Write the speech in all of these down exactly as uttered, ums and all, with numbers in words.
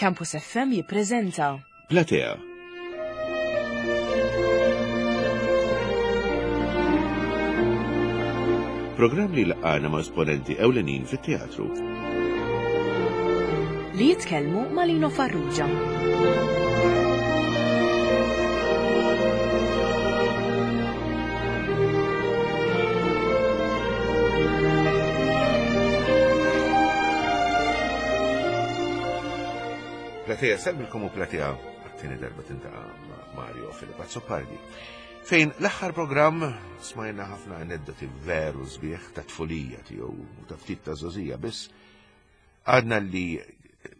Campus F M jippreżenta Platea. Programm li laqana ma' esponenti ewlenin fit-teatru. Li jitkellmu ma' Lino Farrugia. Platea, sellmilkom u Platea għat-tieni darba tiltaqa' ma' Mario Filip Azzopardi. Fejn l-aħħar programm smajna ħafna aneddoti veru sbieħ ta' tfulija tiegħu u ta' ftit ta' żgħożija, biss għadna li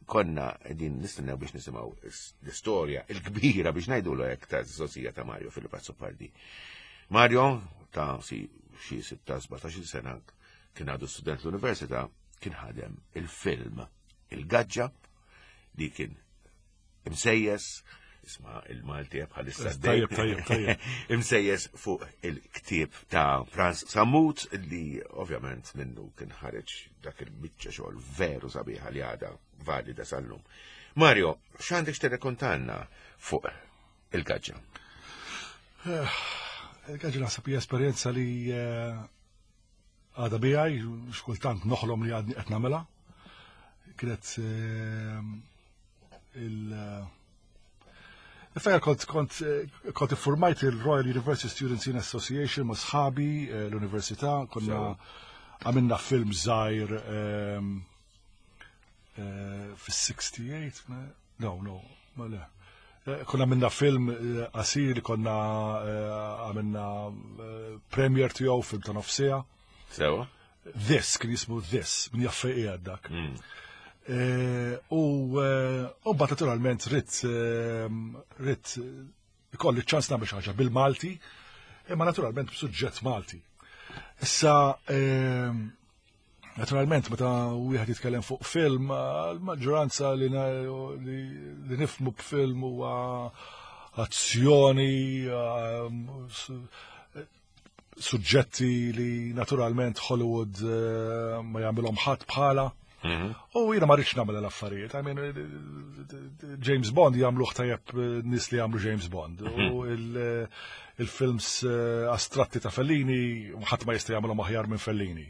konna qegħdin nistennew biex nisimgħu l-istorja il-kbira, biex ngħidulu hekk, ta' żgħożija ta' Mario Filip Azzopardi. Mario ta' si xi sittax sbatax-il sena, kien għadu student l-università, kien ħadem il-film Il-Gaġġa li kien imsejjes, isma' il-Malti bħalissa. Tajjeb, tajjeb, tajjeb. Imsejjes fuq il-ktieb ta' Franz Sammut, li ovvjament minnu kien ħareġ dak il-biċċa xogħol veru sabiħa li għada valida sal-lum. Mario, x'għandek x'tirrakkontanna fuq Il-Gaġġa? Il-Gaġġa naħseb hija esperjenza li eh, għada bijaj, xkultant noħlom li għadni qed nagħmilha. Kienet eh, il- Niftakar kont kont kont iffurmajt il-Royal University Students in Association ma' sħabi eh, l-università, konna għamilna film żgħir ehm, eh, fis-sixty-eight, no, no, ma le. Eh, Konna għamilna film eh, qasir li konna eh, għamilna eh, premiere tiegħu, film ta' nofs siegħa. Sewa? This, kien jismu This, min jaf fejn qiegħed dak. Eh, U eh, u mbagħad naturalment ridt eh, ridt ikolli ċans nagħmel xi ħaġa bil-Malti, imma naturalment b'suġġett Malti. Issa eh, naturalment meta wieħed jitkellem fuq film, eh, l-maġġoranza li, na- li, li nifhmu b'film huwa azzjoni, eh, s- suġġetti li naturalment Hollywood eh, ma jagħmilhom ħadd bħala. U jiena ma rridx nagħmel l-affarijiet. I mean, James Bond jagħmluh tajjeb eh, nies li jagħmlu James Bond. U il- il-films eh, astratti ta' Fellini ħadd ma jista' jagħmilhom aħjar minn Fellini.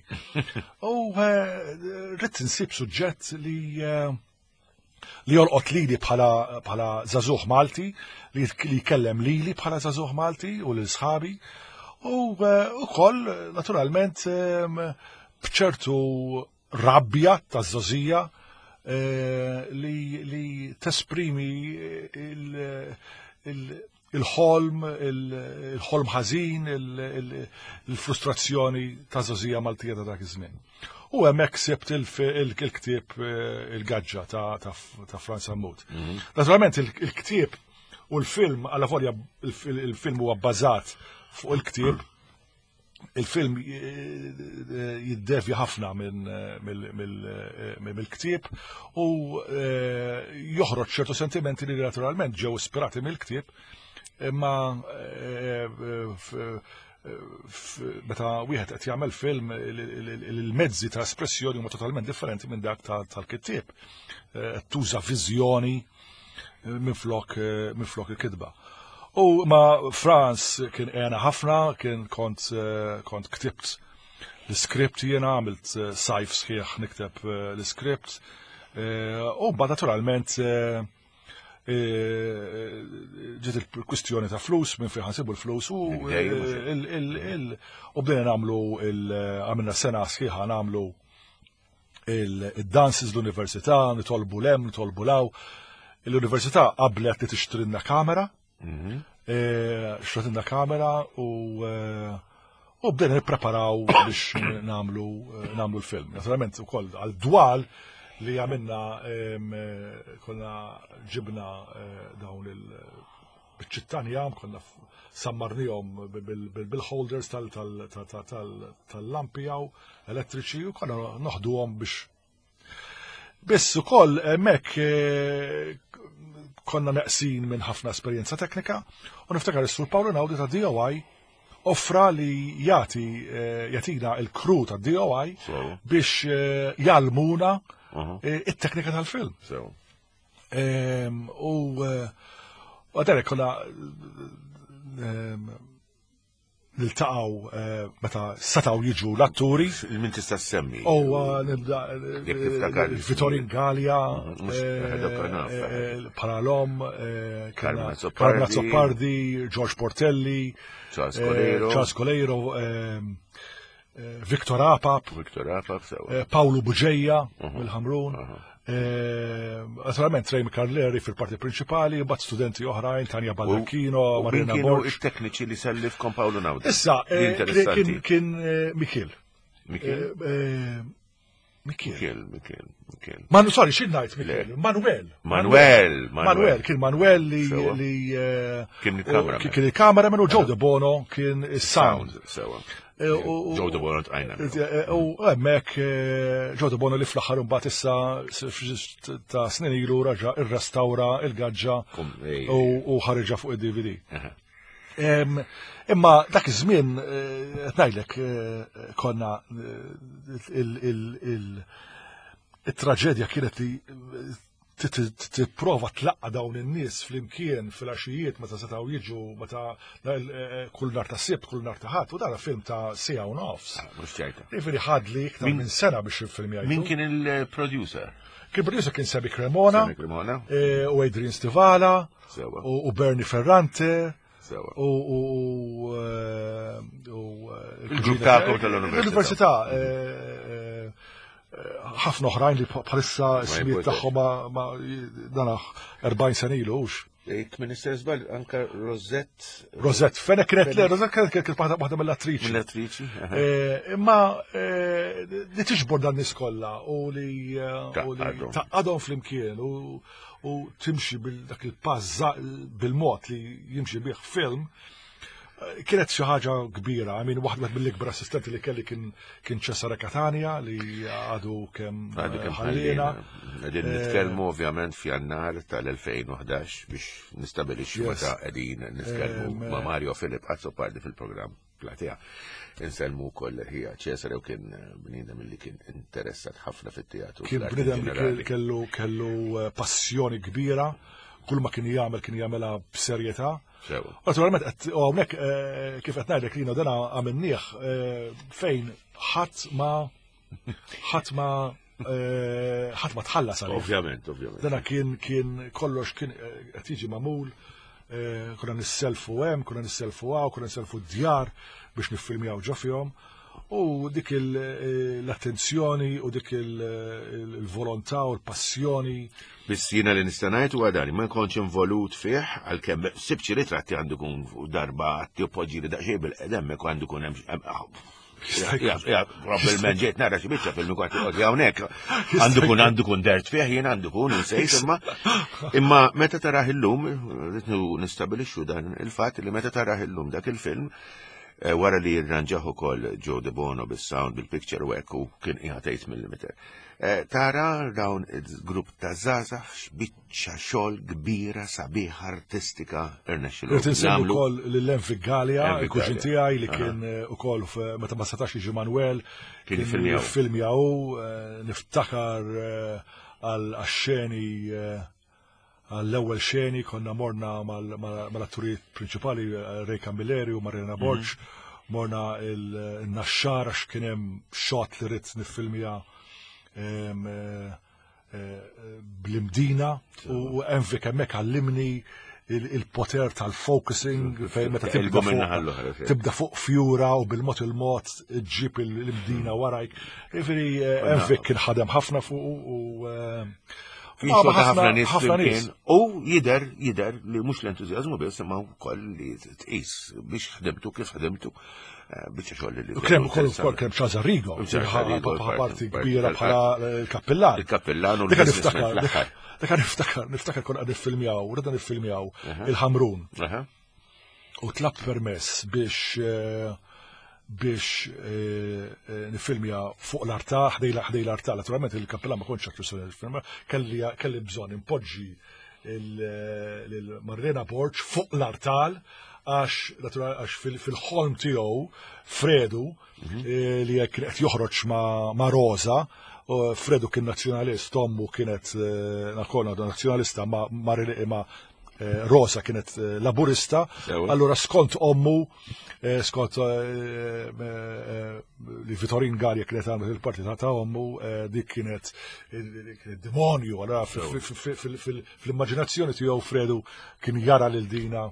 U eh, rrid insib suġġett li eh, li jolqot lili bħala bħala żagħżugħ Malti, li li jkellem lili bħala żagħżugħ Malti u lil sħabi. U eh, ukoll naturalment em, bċertu rabbja ta' żgħożija eh, li, li tesprimi il- il- il-ħolm, il- il-ħolm ħażin, il- il- il-frustrazzjoni ta' żgħożija Maltija ta' dak iż-żmien. U hemmhekk sibt il-ktieb eh, Il-Gaġġa ta' ta' ta' Franz Sammut. Naturalment il-ktieb u l-film, għalla volja il-film huwa bbażat fuq il-ktieb, il-film eh, jiddevja ħafna minn mill- mill- eh, mill-ktieb u eh, joħroġ ċertu sentimenti li naturalment ġew ispirati mill-ktieb, imma eh, f- f- meta wieħed qed jagħmel film, il- il- il-mezzi ta' espressjoni huma totalment differenti minn dak ta- tal-kittieb. Eh, Tuża viżjoni minn flok minn flok il-kitba. U ma Franz kien għena ħafna, kien kont eh, kont ktibt l-script jiena, għamilt eh, sajf sħiħ nikteb eh, l-script. Eh, U mbagħad naturalment eh, eh, ġiet il-kwistjoni ta' flus, minn fejn ħa nsibu l-flus u Dejjem, mhux eh, il- il- il- u bdejna nagħmlu il- għamilna sena sħiħa nagħmlu il-dances l-università, nitolbu 'l hemm, nitolbu 'l hawn. L-università qablet li tixtrilna kamera, eh, xtratilna kamera u eh, u bdejna nippreparaw biex nagħmlu eh, nagħmlu l-film. Naturalment ukoll għal dwal li għamilna em, eh, konna ġibna eh, dawn il-ċittanja, konna f- sammarnihom bil-holders tal-lampi jew elettriċi u konna noħduhom biex. Biss ukoll hemmhekk eh, konna neqsin minn ħafna esperjenza teknika u niftakar is-Sur Paolo Naudi ta' D O I offra li jagħti eh, jagħtina il-crew ta' D O I Sew. biex eh, jgħallmuna Aha. eh, it-teknika tal-film. Sew. Em, U eh, u għadarek konna em, niltaqgħu eh, meta setgħu jiġu l-atturi. Min tista' semmi? U nibda Jekk tiftakar. Vittorin Gallia, Mhux, eh, dak naf. eh, Paralom, eh, Carmen kellna Azzopardi. Carmen Azzopardi, George Portelli, Charles eh, Coleiro. Charles Coleiro, eh, eh, Victor Apap, Victor Apap, sewa. eh, Paolo Buġeja mill-Ħamrun. eh, Naturalment Ray Carleri fil-parti prinċipali, bat studenti oħrajn, Tanja Baldacchino, U min Marina kienu Borg. it-tekniċi li sellifkom Paolo Naudi? Issa, Li eh, interessanti. kien kien eh, Mikil. Mikil? Eh, eh, Mikil. Mikil, Mikil, Mikil. Manu, sorry, xi ngħid Mikil? Manuel. Manuel, Manuel, kien Manuel li Sewa. li eh, Kien il-cameraman. kien kien il-cameraman u Joe De Bono kien is-sound. Sound, sewa. Eh, u- u- Joe De Bono tqajna. Eh, U hemmhekk eh, Joe De Bono li fl-aħħar imbagħad issa s- f- ta' snin ilu raġa irrestawra il-gaġġa Kum, ej, u u ħariġha fuq id-D V D. Aha. Em, Imma dak iż-żmien eh, qed ngħidlek eh, konna eh, il- il- il- it-traġedja kienet li eh, tipprova tlaqqa dawn in-nies flimkien fil-għaxijiet meta setgħu jiġu meta eh, kull nhar ta' Sibt, kull nhar ta' Ħadd, u dan film ta' siegħa u nofs. Ah, mhux ċajta. Jiġifieri ħadli iktar minn sena biex il-film Min kien il-producer? Kien producer kien Sebi Cremona, Sebi Cremona. Eh, u Adrian Stivala, u Bernie Ferrante, Sewa. u u eh, il-grupp tagħkom tal-università. L-università. Ħafna oħrajn li bħalissa ismijiet tagħhom ma dana erbgħin sena ilu hux. Jekk Minister żball, anka Rosette. Rosette Fenech kienet le, Rosette kienet kienet waħda mill-attriċi. Mill-attriċi. Imma li tiġbor dan nies kollha u li taqgħadhom flimkien u timxi bil-dak il-pass bil-mod li jimxi bih film kienet xi ħaġa kbira. I mean, waħda mill-ikbar assistenti li kelli kien kien Cesare Catania li għadu kemm għadu kemm ħallina. Qegħdin nitkellmu ovvjament f'Jannar tal-elfejn u ħdax biex nistabilixxu meta qegħdin nitkellmu ma' Mario Philip Azzopardi fil-programm Platea. Insellmu wkoll ħija Cesare u kien bniedem li kien interessat ħafna fit-teatru. Kien bniedem li kellu kellu passjoni kbira, kull ma kien jagħmel kien jagħmelha b'serjetà. Naturalment, u hawnhekk kif qed ngħidlek lina dana għamilnieh fejn ħadd ma ħadd ma ħadd ma tħallas għalih. Ovvjament, ovvjament. Dana kien kien kollox kien qed jiġi magħmul, konna nisselfu hemm, konna nisselfu hawn, konna nisselfu d-djar biex niffilmjaw ġo fihom. U dik l-attenzjoni u dik il-volontà u l-passjoni. Biss jiena li nista' ngħid huwa dan, ma nkontx involut fih għalkemm sibċi ritratti għandu kun darba għatti u poġġi li daqsxejn bil-qedem għandu kun hemm. Probabbilment ġejt nara xi biċċa film kont qod hawnhekk. Għandu kun għandu kun dert fih jien għandu kun insejt imma imma meta tarah illum rrid nistabilixxu dan il-fatt li meta tarah illum dak il-film wara li jirranġaħ ukoll Joe De Bono bis-sound, bil-picture u hekk u kien qiegħed tmien millimeter. Tara dawn il-grupp ta' żgħażagħ x'biċċa xogħol kbira sabiħa artistika irnexxilu. Irrid insemmi wkoll lil Envic Gallia, il-kuġin tiegħi li kien ukoll meta ma setax jiġi Manuel kien jiffilmjaw, niftakar għal xeni għall-ewwel xeni konna morna mal-atturijiet prinċipali Ray Camilleri u Marina Borg, morna il-Naxxar għax kien hemm shot li ridt niffilmja bl-Imdina u Envic hemmhekk għallimni il-poter tal-focusing fejn meta tibda fuq tibda fuq fjura u bil-mod il-mod ġib l-Imdina warajk. Jiġifieri Envic kien ħadem ħafna fuq u ħafna nies ħafna nies. U jider, jider li mhux l-entużjażmu biss imma wkoll li tqis biex ħdimtu kif ħdimtu biċċa xogħol li. Krem ukoll ukoll krem Charles Arrigo, parti kbira bħala l-kappellan. Il-kappellan u l-niftakar. Dak niftakar, niftakar konna qed niffilmjaw, rridna niffilmjaw il-Ħamrun. U tlab permess biex biex nifilmja fuq l-artal, ħdej l-artal. Naturalment il-kappellan ma kontx għattu film, kelli kelli bżonn impoġġi l-Marlena Borg fuq l-artal għax għax fil-ħolm tiegħu Fredu li kien qed joħroġ ma' Rosa Fredu kien nazzjonalist, ommu kienet nakona nazzjonalista ma, ma Rosa kienet laburista, allura skont ommu, skont li Vitorin Galea kienet għamlet il-parti ta' ommu, dik kienet demonju, allura fl-immaġinazzjoni tiegħu Fredu kien jara lil dina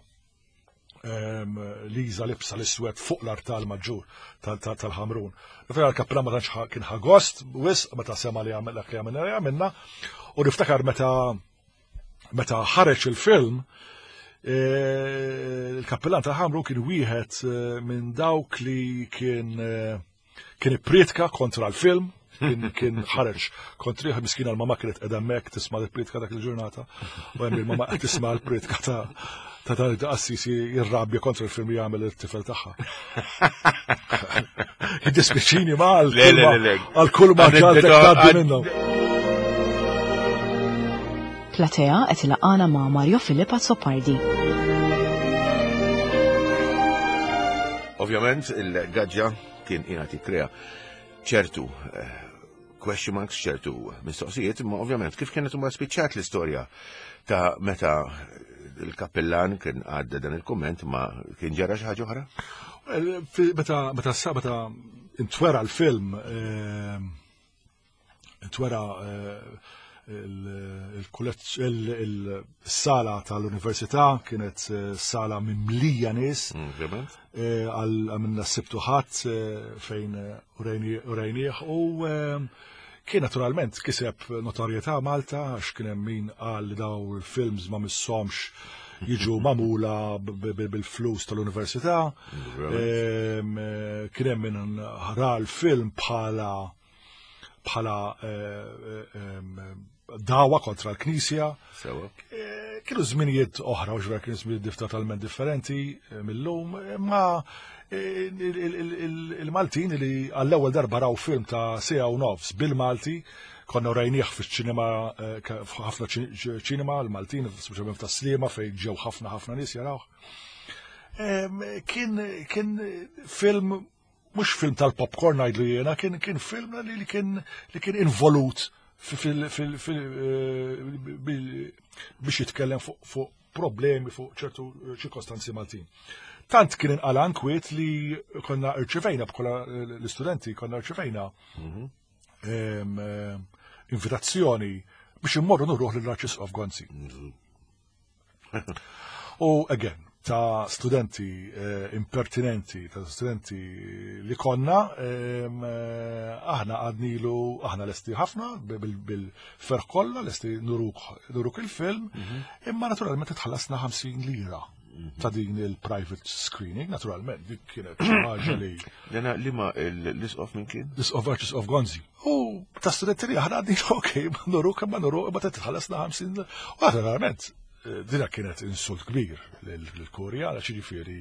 Liza libsa l-iswed fuq l-artal maġġur tal-Ħamrun. Niftakar l-kappillan ma tantx kien ħagost, wisq meta sema li għamilna li għamilna li għamilna, u niftakar meta meta ħareġ il-film, il-kappillan tal-Ħamrun kien wieħed minn dawk li kien kien ipprietka kontra l-film, kien ħareġ kontriħ, miskina l-mama kienet qiegħda hemmhekk tisma' l-prietka dak il-ġurnata, u hemm il-mama qed tisma' l-prietka ta' ta' ta' qassisi jirrabja kontra l-film li jagħmel it-tifel tagħha. Jiddispjaċini ma għal kull ma ġaltek tgħaddi minnhom. Platea qed ilaqana ma' Mario Philip Azzopardi. Ovvjament il-gaġġa kien qiegħed jikkrea ċertu question marks, ċertu mistoqsijiet, imma ovvjament kif kienet huma spiċċat l-istorja ta' meta il-kappellan kien għadda dan il-komment, ma kien ġara xi ħaġa oħra? Meta meta meta intwera l-film, intwera il-sala tal-università kienet sala mimlija nies, għamilna s-sibtu ħadd fejn urejnieh, u kien naturalment kiseb notorjetà Malta għax kien hemm min qal li daw il-films ma missomx jiġu magħmula bil-flus tal-università. Kien hemm min ra l-film bħala bħala dawa kontra l-Knisja. Kienu żminijiet oħra, u ġver kienu żminijiet totalment differenti mill-lum, ma il-Maltin li għall-ewwel darba raw film ta' sija u nofs bil-Malti, konna rajnieh fiċ-ċinema, ħafna ċinema, l-Maltin, speċjalment ta' Sliema fejn ġew ħafna ħafna nies jarawh. Kien kien film, mhux film tal-popcorn ngħidlu jiena, kien kien film li kien li kien involut biex jitkellem fuq problemi, fuq ċertu ċirkostanzi Maltin. Tant kien inqala nkwiet li konna rċevejna, bħala l-istudenti konna rċevejna invitazzjoni biex immorru nurruh lill-Arċisqof Gonzi. U again, ta' studenti impertinenti, ta' studenti li konna, aħna għadnilu, aħna lesti ħafna, bil-ferħ kollha, lesti nuruk il-film, imma naturalment tħallasna ħamsin lira ta' din il-private screening, naturalment, dik kienet xi ħaġa li. Dena li ma l-isqof minn kien? L-isqof Arċisqof Gonzi. U ta' studenti li aħna għadnilu, ok, ma nuruk, ma nuruk, imma titħallasna ħamsin. U naturalment, dina kienet insult kbir lill-Kurja, għax jiġifieri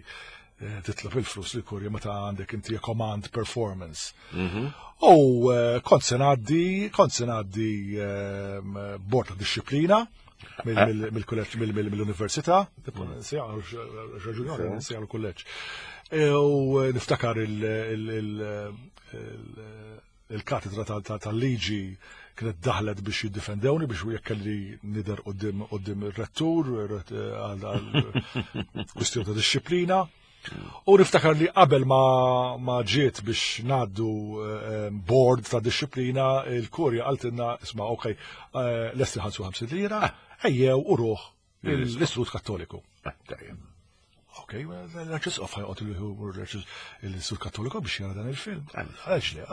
titlob il-flus lill-Kurja meta għandek inti command performance. U kont se ngħaddi, kont se ngħaddi bord ta' disċiplina mill-kulleġġ, mill-università, raġuni nsejjaħ l-kulleġġ. U niftakar il-katedra tal-liġi kienet daħlet biex jiddifendewni biex jekk kelli nidher quddiem ir-rettur għal kwistjoni ta' disċiplina. U niftakar li qabel ma ġiet biex ngħaddu board ta' disċiplina, il-kurja qaltilna isma' ok, lesti ħansu ħamsin lira, ejjew u ruħ l-Istitut Kattoliku. Ok, l-Arċisqof ħajqgħod l-Istitut Kattoliku biex jara dan il-film. Għaliex le,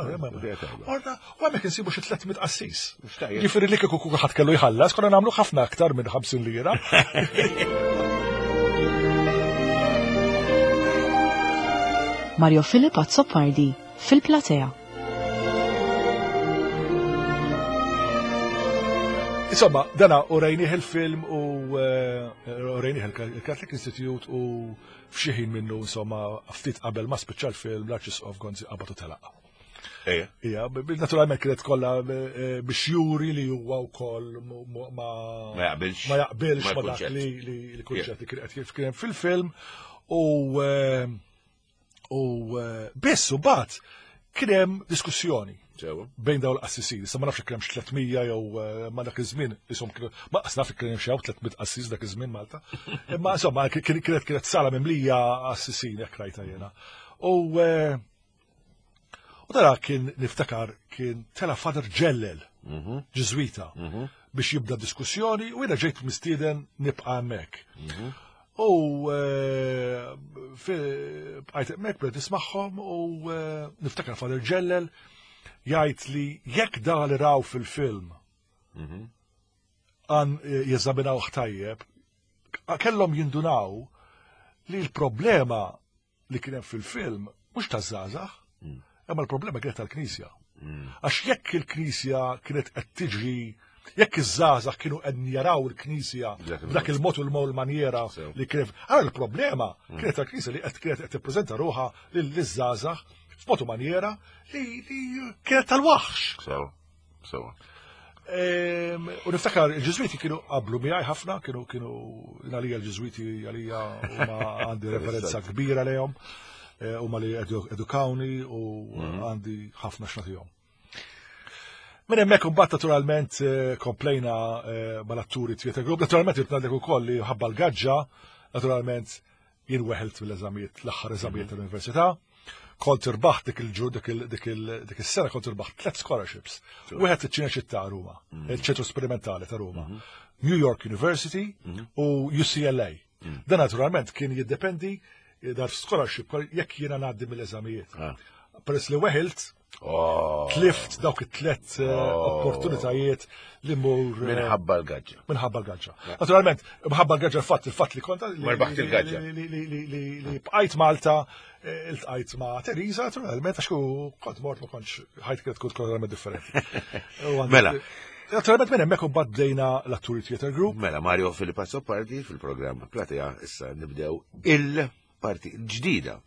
orda, u hemmhekk insibu xi tliet mitt qassis. Ġifieri li kieku kulħadd kellu jħallas, konna nagħmlu ħafna aktar minn ħamsin lira. Mario Philip Azzopardi fil-Platea. Insomma, dana u rajnieh il-film u rajnieh il-Catholic Institute u f'xi ħin minnu, insomma, ftit qabel ma spiċċa l-film l-Arċisqof Gonzi qabad u telaq. Ejja. Ija, naturalment kienet kollha biex juri li huwa wkoll ma Ma jaqbilx. ma jaqbilx ma dak li l-kunċett li kien qed kien fil-film u u biss u bat Kien hemm diskussjoni bejn dawn l-qassisin. Issa ma nafx kien hemm tliet mija jew eh, ma dak iż-żmien ishom kienu ma qas naf kien hemm xi tliet mitt qassis dak iż-żmien Malta. Imma insomma kienet kienet sala mimlija qassisin jekk rajta jiena. U eh, u dara kien niftakar kien tela Father Ġellel, mhm. Ġiżwita, mhm. biex jibda diskussjoni u jiena ġejt mistieden nibqa' hemmhekk. Mhm. U eh, bqajt hemmhekk bdejt nismagħhom u niftakar Father Ġellel jgħid li jekk da li raw fil-film għan eh, jeżaminaw tajjeb, kellhom jindunaw li l-problema li kien hemm fil-film mhux taż-żgħażagħ, mm. imma l-problema kienet tal-Knisja. Mm. Għax jekk il-Knisja kienet qed tiġri, jekk iż-żgħażagħ kienu qed jaraw il-Knisja b'dak il-mod u l-manjera li kienet, għara l-problema mm. kienet tal-Knisja li qed kienet qed tippreżenta ruħha liż-żgħażagħ f'mod u manjera li kienet tal-waħx. Sew, sew. U niftakar il-Ġiżwiti kienu qablu miegħi ħafna, kienu kienu għalija l-Ġiżwiti għalija huma għandi referenza kbira lejhom, eh, huma li edukawni u mhm. għandi ħafna x'nagħtihom. Minn hemmhekk imbagħad naturalment eh, komplejna eh, mal-atturi Theatre Group, naturalment irid ngħidlek ukoll li ħabba l-gaġġa, naturalment jien weħelt mill-eżamijiet, l-aħħar eżamijiet mhm. tal-università. Kont irbaħt dik il-ġur, dik is-sena kont irbaħt tliet scholarships. Wieħed iċ-Ċineċittà ta' Ruma, mm. il-ċentru sperimentali ta' Ruma, mhm. New York University mhm. u U C L A. Mm. Dan naturalment kien jiddependi eh, dar scholarship jekk jiena ngħaddi mill-eżamijiet. Ah. Peress li weħilt, oh. tlift dawk it-tlet eh, oh. opportunitajiet li mur. Eh, Minħabba l-gaġġa. Minħabba l-gaġġa. Naturalment, minħabba l-gaġġa l-fatt, il-fatt li konta. Marbaħt il-gaġġa. Li bqajt Malta, eh, iltqajt ma' Teresa, naturalment, għax kont mort ma kontx ħajt kienet tkun totalment differenti. Mela. Naturalment minn hemmhekk imbagħad bdejna l-Atturi Theatre Group. Mela, Mario Filippo Azzopardi fil-programm Platea, issa nibdew il-parti ġdida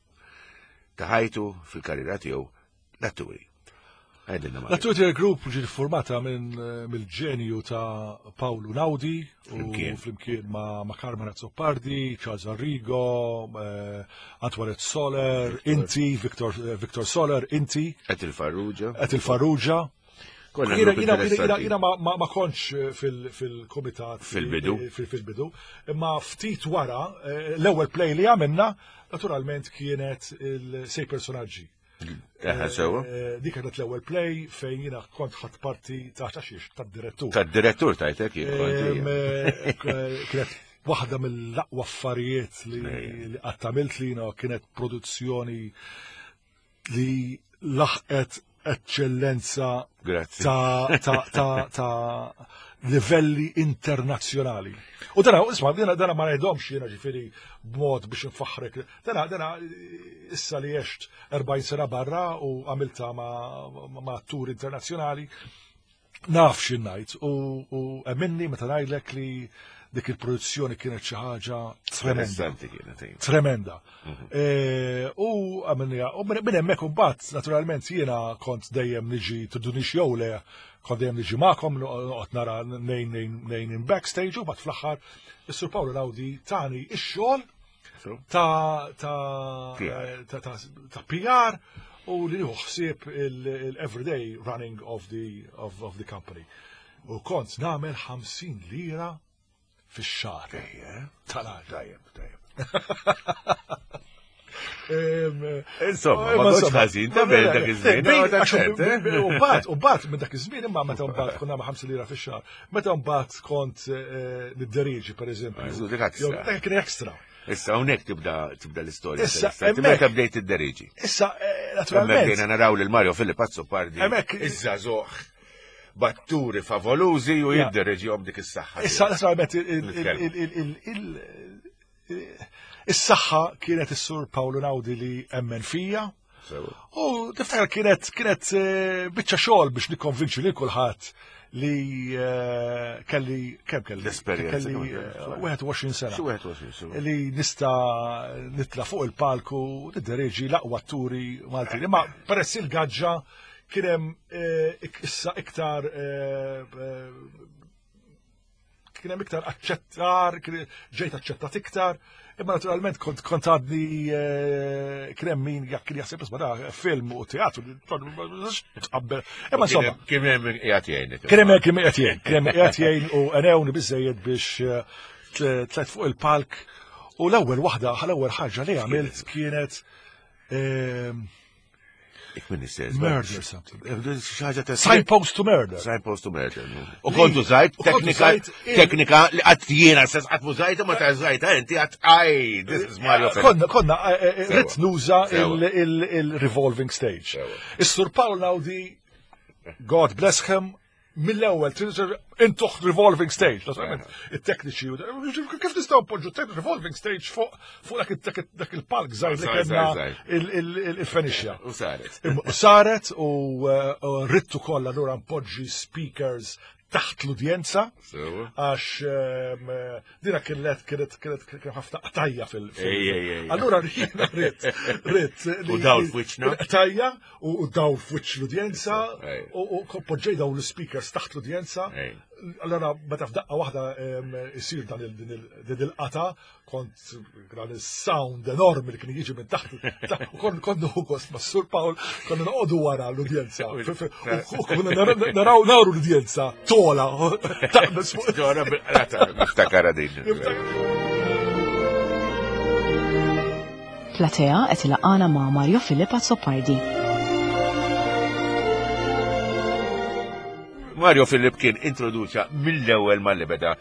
ta' ħajtu fil-karriera tiegħu, l-atturi. Għedilna, Mario. L-Atturi Theatre Group ġiet formata minn eh, mill-ġenju ta' Paolo Naudi u Flimkien. flimkien ma' ma' Carmen Azzopardi, Charles Arrigo, eh, Antoinette Soler, inti, Victor, eh, Victor Soler, inti, Qed il-Farrugia. Qed il-Farrugia. Konna Jina, grupp jina, jina, jina, interessanti. jina ma, ma, ma kontx eh, fil- fil-komitat. Fil-bidu. Fil- Fil-bidu. Imma ftit wara, eh, l-ewwel play li għamilna, naturalment kienet il-Sei Personaġġi. Eħe, sewa. Eh, Dik kienet l-ewwel play fejn jiena kont ħadt parti ta' ta' xiex, tad-direttur. Tad-direttur tajtek jien kont, Em, ija. eh, Kienet waħda mill-aqwa affarijiet li li qatt għamilt li jiena, kienet produzzjoni li laħqet eċċellenza Grazzi. ta' ta' ta' ta' livelli internazzjonali. U dana, isma, dana, dana ma ngħidhomx jiena ġifieri b'mod biex nfaħrek. Dana, dana issa li għext erbgħin sena barra u għamilta ma', ma' atturi internazzjonali, naf x'in ngħid u, u emminni meta ngħidlek li dik il-produzzjoni kienet xi ħaġa tremenda. Interessanti kienet, ija. Tremenda. E, U għamilniha, u minn minn hemmhekk imbagħad naturalment jiena kont dejjem niġi tidunix jew le, kont dejjem niġi magħkom noqgħod nara nejn nejn nejn in backstage u mbagħad fl-aħħar is-Sur Paolo Naudi tani ix-xogħol So? ta' ta' P R. ta' ta' ta' P R u li nieħu ħsieb il-everyday running of the of, of the company. U kont nagħmel ħamsin lira fix-xahar. Ejja. Tal-għal. Tajjeb, tajjeb. Em, Insomma, eh, ma kontx insomma, ħażin ta' bel dak iż-żmien. Bejn- no, ta' għax ċert, eh? U mbagħad, u mbagħad minn dak iż-żmien imma meta mbagħad konna ma' ħamsin lira fix-xahar, meta mbagħad kont eh, nidderieġi pereżempju. Ah, dik extra. Jew- Dak kien extra. Issa hawnhekk tibda tibda l-istorja. Issa, interessanti. hemmhekk- Meta bdejt id-deriġi. Issa, eh, Hemmhekk naturalment. bdejna naraw lil Mario Filippo Azzopardi. Hemmhekk- Iż-żagħżugħ b'atturi favolużi u Ja. jiddereġihom dik is-saħħa. Issa, naturalment, il- il- Nitkellmu. il- il- il- il- is-saħħa kienet is-Sur Paolo Naudi li emmen fija. Sewa. U tiftakar kienet kienet eh, biċċa xogħol biex nikkonvinċi lil kulħadd li eh, kelli kemm kelli L-esperjenza kelli kemm eh, kelli. wieħed u għoxrin sena. Xi wieħed u għoxrin sena. Li nista nitla fuq il-palku niddereġi l-aqwa atturi Maltin. Imma peress il-gaġġa kien hemm eh, ik- issa iktar eh, eh, kien hemm iktar aċċettar, kien- ġejt aċċettat iktar, Imma naturalment kont kont għadni kien hemm min kien jaħseb isma' da film u teatru tqabbel. Imma insomma. Kien hemm qiegħed jgħin. Kien hemm kien qiegħed jgħin, kien hemm qiegħed jgħin u għenewni biżejjed biex tlajt fuq il-palk u l-ewwel waħda, l-ewwel ħaġa li għamilt kienet Murder something. Signpost to murder. Signpost to murder. U kontu zajt, teknika, teknika li għat jiena sess għat mużajta ma ta' zajta, inti għat aj, this is Mario. Konna, konna, rrit nuża il-revolving stage. Is-Sur Paul Naudi, God bless him, mill-ewwel intuħ revolving stage, naturalment, it-tekniċi, kif nistgħu npoġġu revolving stage fuq fuq dak il-palk żgħir li kellna il-Fenixja. U saret. U saret u rittu kollha allura npoġġi speakers taħt l-udjenza, għax dina kienet kienet kienet kien ħafna qtajja fil. Allura jiena ritt ritt. U dawl f'wiċċna. Qtajja u dawl f'wiċċ l-udjenza u poġġej dawn l-speakers taħt l-udjenza. Allora meta f'daqqa waħda isir dan il-qata kont dan is-sound enormi li kien jiġi minn taħt. U kont kont nieħu gost ma' Sur Paul konna noqogħdu wara l-udjenza. U konna naraw naru l-udjenza tola taqbes fuq. Ġora bil-qata niftakara din. Platea qed ilaqana ma' Mario Philip Azzopardi. Mario Philip kien introduċa mill-ewwel mal-li beda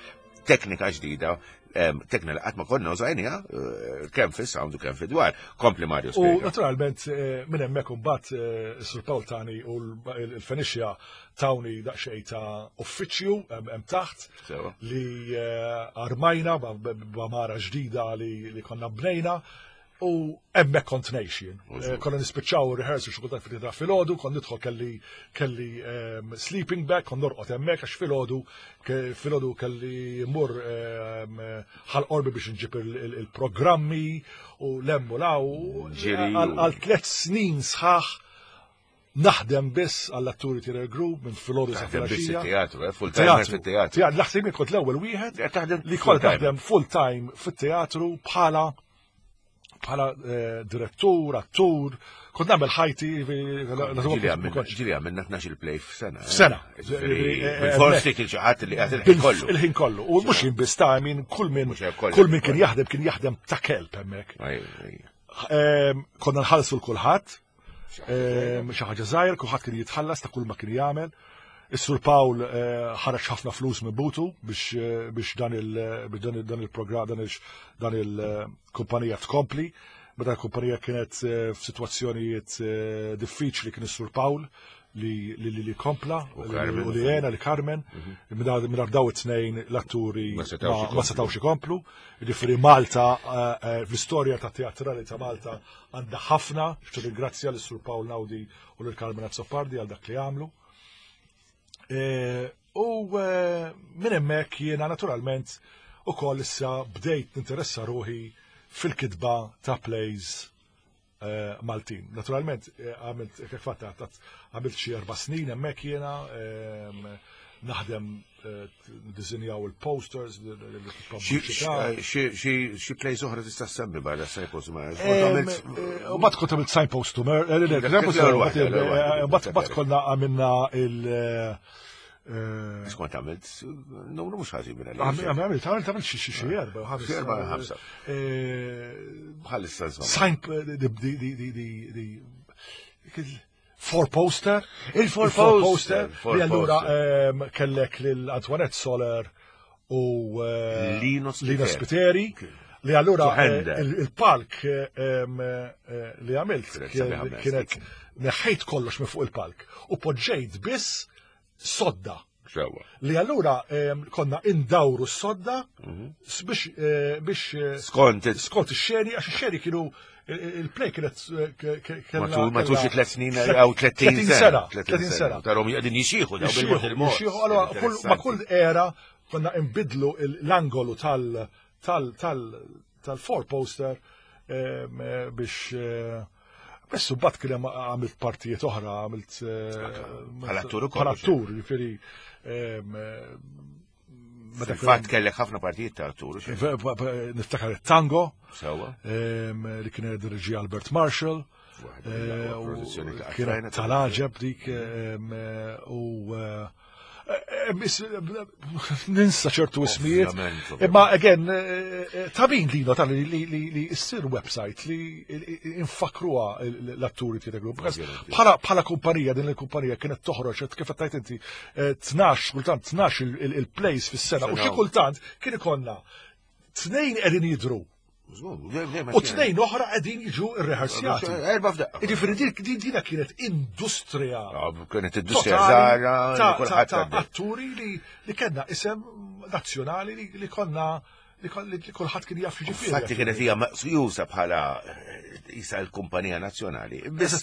teknika ġdida, teknika li qatt ma konna użajniha kemm fis-sound u kemm fid-dwar. Kompli Mario. U naturalment minn hemmhekk imbagħad is-Sur Paul tani u l-Fenixja tawni daqsxejn ta' uffiċċju hemm taħt li armajna b'għamara ġdida li konna bnejna. U hemmhekk kont ngħix jien. Konna nispiċċaw rehearsal xi kultant fil filgħodu, kont nidħol kelli kelli sleeping bag, kont norqod hemmhekk għax filgħodu filgħodu kelli mmur ħal qorbi biex nġib il-programmi u lemmu law għal tliet snin sħaħ naħdem biss għall-atturi Theatre Group minn filgħodu sa filgħaxija. Teatru, full time fit-teatru. Naħseb jien kont l-ewwel wieħed li kont taħdem full time fit-teatru bħala bħala direttur, attur, kont nagħmel ħajti. Ġieli għamilna tnax-il play f'sena. F'sena. Forsi kien xi ħadd li qed il-ħin kollu. Il-ħin kollu. U mhux jien biss ta' min kull min kull min kien jaħdem kien jaħdem ta' kelb hemmhekk. Konna nħallsu l kulħadd, xi ħaġa żgħir, kulħadd kien jitħallas ta' kull ma kien jagħmel. Is-Sur Paul ħareġ ħafna flus minn butu biex biex dan il dan il-programm dan dan il-kumpanija tkompli. Meta l-kumpanija kienet f'sitwazzjonijiet diffiċli kien is-Sur Paul li li li kompla u li għena li Carmen. Minn daw it-tnejn l-atturi ma setgħux ikomplu. Jiġifieri Malta fl-istorja ta' teatrali ta' Malta għandha ħafna, ringrazzja lis-Sur Paul Naudi u lil Carmen Azzopardi għal dak li għamlu. U minn hemmhekk jiena naturalment ukoll issa bdejt ninteressa ruħi fil-kitba ta' plays Maltin. Naturalment għamilt kif fatt għamilt xi erba' snin hemmhekk jiena naħdem dizinjaw il-posters, il-pubbliċità. Xi plays oħra tista' ssemmi barra Signpost to Murder. U mbagħad kont għamilt Signpost to Murder, mbagħad konna għamilna il- Skont għamilt, numru mhux ħażin minn għalija. Għamilt, għamilt, għamilt xi xi erba' ħamsa. Erba' ħamsa. Bħalissa żomm. Sign di four poster. Il-four poster. Li allura kellek lil Antoinette Soler u Lino Spiteri. Li allura il-palk li għamilt kienet neħħejt kollox minn fuq il-palk u poġġejt biss sodda. Li allura konna indawru s-sodda biex biex skont skont ix-xeni, għax ix-xeni kienu il-play kienet matul xi tliet snin jew tletin sena. tletin sena. Tarhom qegħdin jixieħu daw bil-mod il-mod. Jixieħu, allura ma' kull era konna nbidlu l-angolu tal tal tal tal-four poster biex Bessu bat kien hemm għamilt partijiet oħra, għamilt bħala attur ukoll. Bħala attur, jiġifieri Fil-fatt kellek ħafna partijiet ta' attur. Niftakar it-tango. Sewwa. Li kien dirġi Albert Marshall. Kienet tal-għaġeb dik u ninsa ċertu ismijiet. Imma again, ta' min lino tal li issir website li infakruha l-atturi Theatre Group. Bħala kumpanija, din il-kumpanija kienet toħroġ, kif tajt inti, tnax, kultant tnax il-plays fis-sena, u xi kultant kien ikollna tnejn qegħdin jidhru. U tnejn oħra qegħdin jiġu rrehearsjati. Erba' f'daqqa. Jiġifieri din dina kienet industrija. Kienet industrija żgħira ta' atturi li kellna isem nazzjonali li konna li kulħadd kien jaf jiġifieri. Fatti kienet hija meqjusa bħala isa l-kumpanija nazzjonali. Biss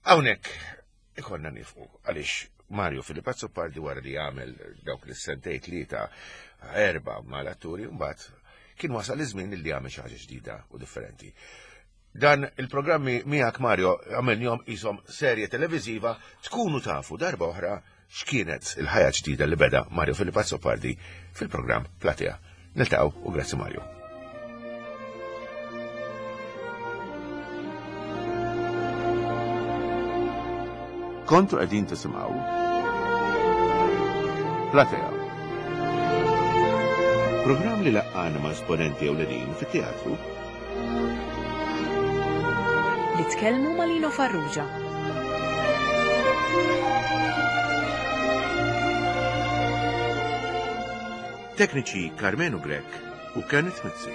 hawnhekk ikollna nifqu għaliex Mario Philip Azzopardi wara li għamel dawk l-sentej tlieta erba' mal-atturi mbagħad kien wasal iż-żmien li għamel xi ħaġa ġdida u differenti. Dan il-programmi miegħek Mario għamilnihom qishom serje televiżiva tkunu tafu darba oħra x'kienet il-ħajja ġdida li beda Mario Philip Azzopardi fil-programm Platea. Niltaqgħu u grazzi Mario. Kontu qegħdin tisimgħu Platea. Programm li laqqana ma' esponenti ewlenin fit-teatru. Li tkellmu ma' Lino Farrugia. Tekniċi Carmenu Grech u Kenneth Mizzi.